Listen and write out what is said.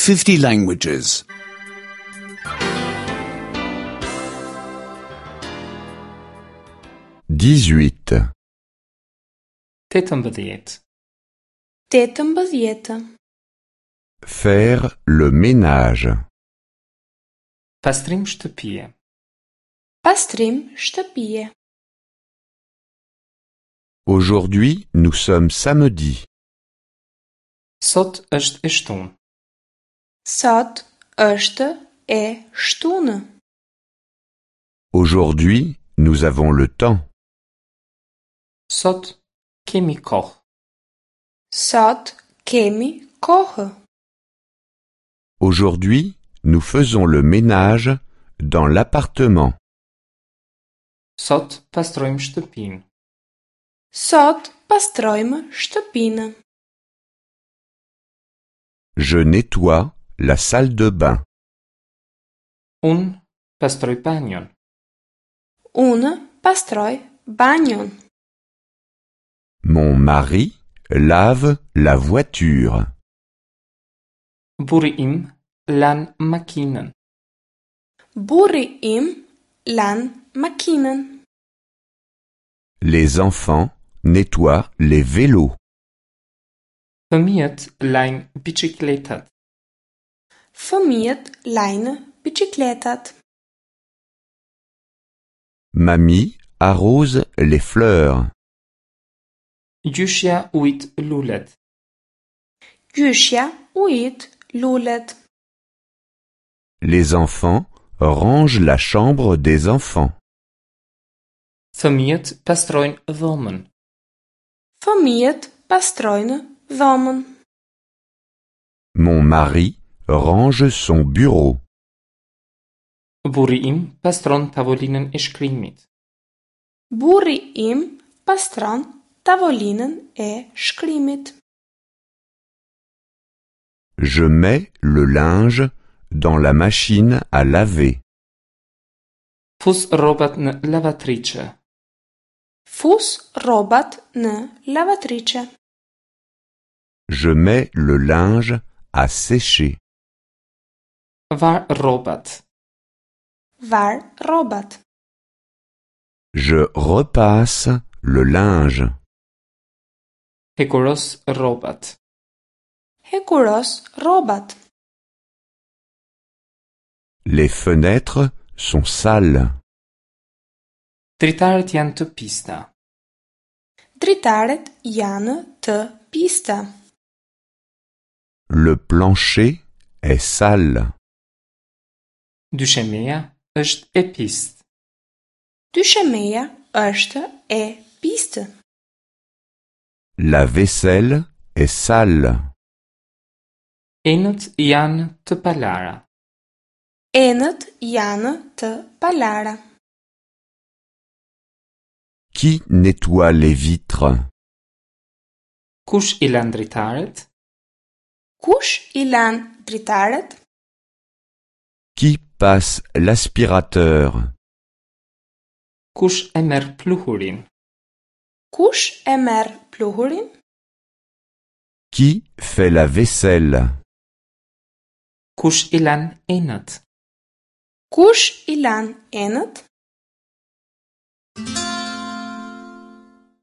50 languages. 18. 18. 18. Faire le ménage. Pastrim shtëpie. Pastrim shtëpie. Aujourd'hui, nous sommes samedi. Sot është e shtunë. Sot është e shtunë. Aujourd'hui, nous avons le temps. Sot kemi kohë. Sot kemi kohë. Aujourd'hui, nous faisons le ménage dans l'appartement. Sot pastrojmë shtëpinë. Sot pastrojmë shtëpinë. Je nettoie la salle de bain. Unë pastroj banjon. Unë pastroj banjon. Mon mari lave la voiture. Burri im lan makinën. Burri im lan makinën. Les enfants nettoient les vélos. Fëmijët lajnë biçikletat. Fëmijët lajnë biçikletat. Mamie arrose les fleurs. Gjyshja ujit lulet. Gjyshja ujit lulet. Les enfants rangent la chambre des enfants. Fëmijët pastrojnë dhomën. Fëmijët pastrojnë dhomën. Mon mari range son bureau. Burri im pastron tavolinën e shkrimit. Burri im pastron tavolinën e shkrimit. Je mets le linge dans la machine à laver. Fus rrobat në lavatriçe. Fus rrobat në lavatriçe. Je mets le linge à sécher. Var rrobat. Var rrobat. Je repasse le linge. Hekuros rrobat. Hekuros rrobat. Les fenêtres sont sales. Dritaret janë të pista. Dritaret janë të pista. Le plancher est sale. Dyshemeja është e pistë. Dyshemeja është e pistë. La vaisselle est sale. Enët janë të palara. Enët janë të palara. Qui nettoie les vitres? Kush i lan dritaret? Kush i lan dritaret? Qui passe l'aspirateur? Kush e merr pluhurin? Kush e merr pluhurin? Qui fait la vaisselle? Kush i lan enët? Kush i lan enët?